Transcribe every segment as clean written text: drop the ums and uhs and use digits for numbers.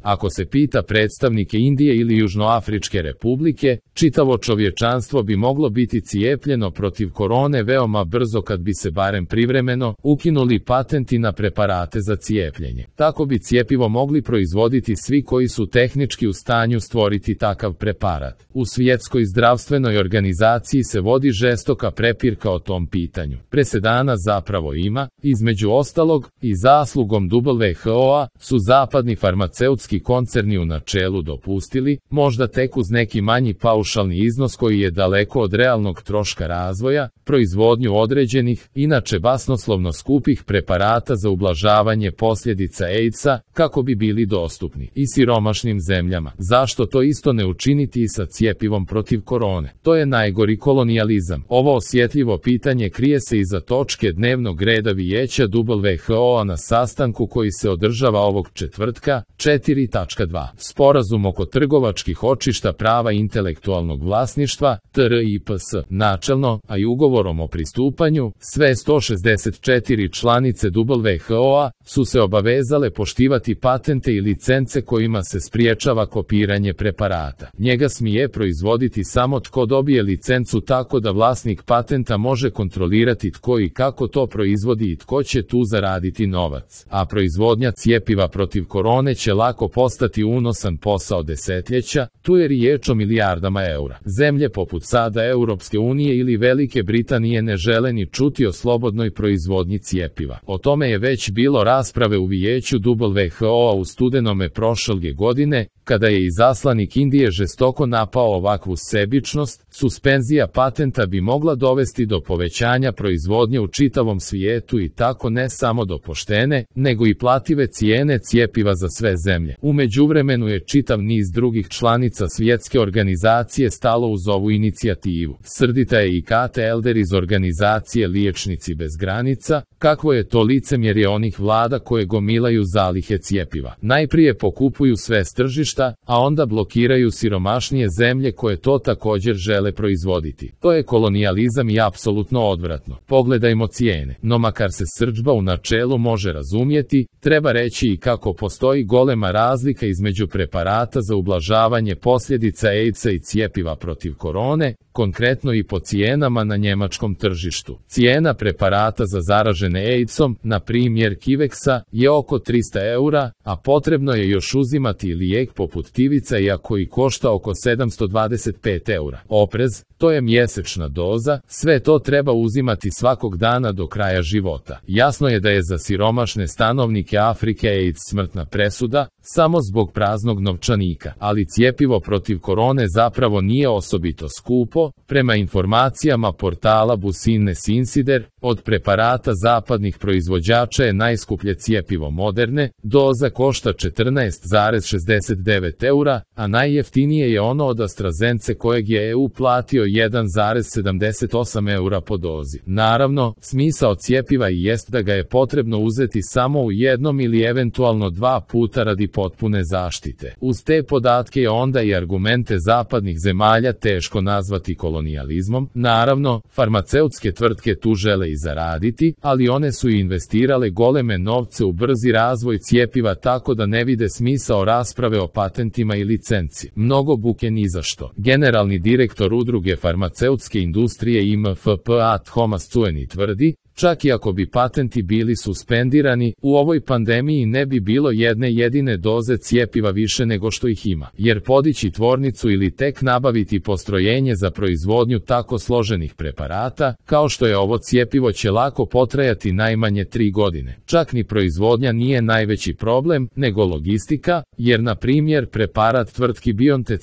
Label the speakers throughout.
Speaker 1: Ako se pita predstavnike Indije ili Južnoafričke republike, čitavo čovječanstvo bi moglo biti cijepljeno protiv korone veoma brzo kad bi se barem privremeno ukinuli patenti na preparate za cijepljenje. Tako bi cjepivo mogli proizvoditi svi koji su tehnički u stanju stvoriti takav preparat. U Svjetskoj zdravstvenoj organizaciji se vodi žestoka prepirka o tom pitanju. Presedana zapravo ima, između ostalog, i zaslugom WHO-a su zapadni farmaceutski koncerni u načelu dopustili, možda tek uz neki manji paušalni iznos koji je daleko od realnog troška razvoja, proizvodnju određenih, inače basnoslovno skupih preparata za ublažavanje posljedica AIDS-a, kako bi bili dostupni i siromašnim zemljama. Zašto to isto ne učiniti i sa cjepivom protiv korone? To je najgori kolonijalizam. Ovo osjetljivo pitanje krije se iza točke dnevnog reda Vijeća WHO-a na sastanku koji se održava ovog četvrtka, 4.2. Sporazum oko trgovačkih očišta prava intelektualnog vlasništva, TRIPS, načelno, a i ugovorom o pristupanju, sve 164 članice WHO-a su se obavezale poštivati patente i licence kojima se spriječava kopiranje preparata. Njega smije proizvoditi samo tko dobije licencu, tako da vlasnik patenta može kontrolirati tko i kako to proizvodi i tko će tu zaraditi novac. A proizvodnja cjepiva protiv korone će lako postati unosan posao desetljeća, tu je riječ o milijardama eura. Zemlje poput sada Europske unije ili Velike Britanije ne žele ni čuti o slobodnoj proizvodnji cjepiva. O tome je već bilo rasprave u Vijeću WHO-a u studenome prošle godine, kada je izaslanik Indije žestoko napao ovakvu sebičnost. Suspenzija patenta bi mogla dovesti do povećanja proizvodnje u čitavom svijetu i tako ne samo do poštene, nego i plative cijene cjepiva za sve zemlje. U međuvremenu je čitav niz drugih članica svjetske organizacije stalo uz ovu inicijativu. Srdita je i Kate Elder iz organizacije Liječnici bez granica. Kakvo je to licemjerje onih vlada koje gomilaju zalihe cjepiva? Najprije pokupuju sve s tržišta, a onda blokiraju siromašnije zemlje koje to također žele proizvoditi. To je kolonijalizam i apsolutno odvratno. Pogledajmo cijene. No makar se srdžba u načelu može razumjeti, treba reći i kako postoji golema razlika između preparata za ublažavanje posljedica AIDS-a i cjepiva protiv korone, konkretno i po cijenama na njemačkom tržištu. Cijena preparata za zaražene AIDS-om, na primjer Kivexa, je oko 300 eura, a potrebno je još uzimati lijek poput Tivica iako i košta oko 725 eura. Oprez, to je mjesečna doza, sve to treba uzimati svakog dana do kraja života. Jasno je da je za siromašne stanovnike Afrike AIDS smrtna presuda, samo zbog praznog novčanika, ali cjepivo protiv korone zapravo nije osobito skupo. Prema informacijama portala Business Insider, od preparata zapadnih proizvođača je najskuplje cjepivo Moderne, doza košta 14,69 eura, a najjeftinije je ono od AstraZence kojeg je EU platio 1,78 eura po dozi. Naravno, smisao cjepiva i jest da ga je potrebno uzeti samo u jednom ili eventualno dva puta radi potpune zaštite. Uz te podatke je onda i argumente zapadnih zemalja teško nazvati kolonijalizmom. Naravno, farmaceutske tvrtke tu žele i zaraditi, ali one su i investirale goleme novce u brzi razvoj cjepiva, tako da ne vide smisao rasprave o patentima i licenci. Mnogo buke ni za što. Generalni direktor udruge farmaceutske industrije IMFPA Thomas Cueni tvrdi, čak i ako bi patenti bili suspendirani, u ovoj pandemiji ne bi bilo jedne jedine doze cjepiva više nego što ih ima, jer podići tvornicu ili tek nabaviti postrojenje za proizvodnju tako složenih preparata, kao što je ovo cjepivo, će lako potrajati najmanje 3 godine. Čak ni proizvodnja nije najveći problem, nego logistika, jer na primjer preparat tvrtki BioNTech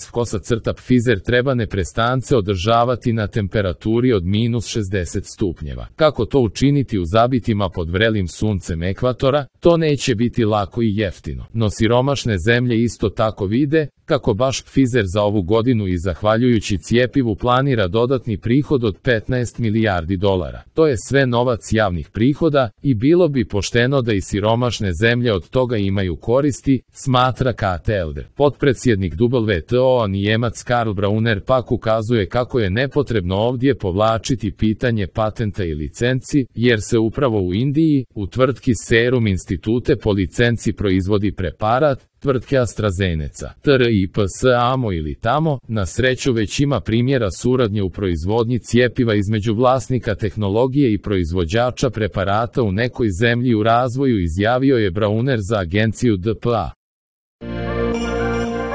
Speaker 1: Pfizer treba neprestance održavati na temperaturi od -60 stupnjeva. Kako to učiniti u zabitima pod vrelim suncem ekvatora? To neće biti lako i jeftino. No siromašne zemlje isto tako vide kako baš Pfizer za ovu godinu i zahvaljujući cjepivu planira dodatni prihod od 15 milijardi dolara. To je sve novac javnih prihoda i bilo bi pošteno da i siromašne zemlje od toga imaju koristi, smatra Kate Elder. Potpredsjednik WTO-a Njemac Karl Brauner pak ukazuje kako je nepotrebno ovdje povlačiti pitanje patenta i licenci, jer se upravo u Indiji, u tvrtki Serum Institute po licenci proizvodi preparat tvrtke AstraZeneca, TRIPS amo ili tamo, na sreću već ima primjera suradnje u proizvodnji cjepiva između vlasnika tehnologije i proizvođača preparata u nekoj zemlji u razvoju, izjavio je Brauner za agenciju DPA.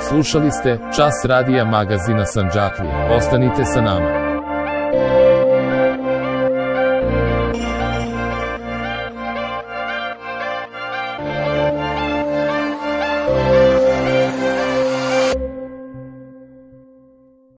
Speaker 1: Slušali ste Čas radija magazina Sandžaklije. Ostanite sa nama.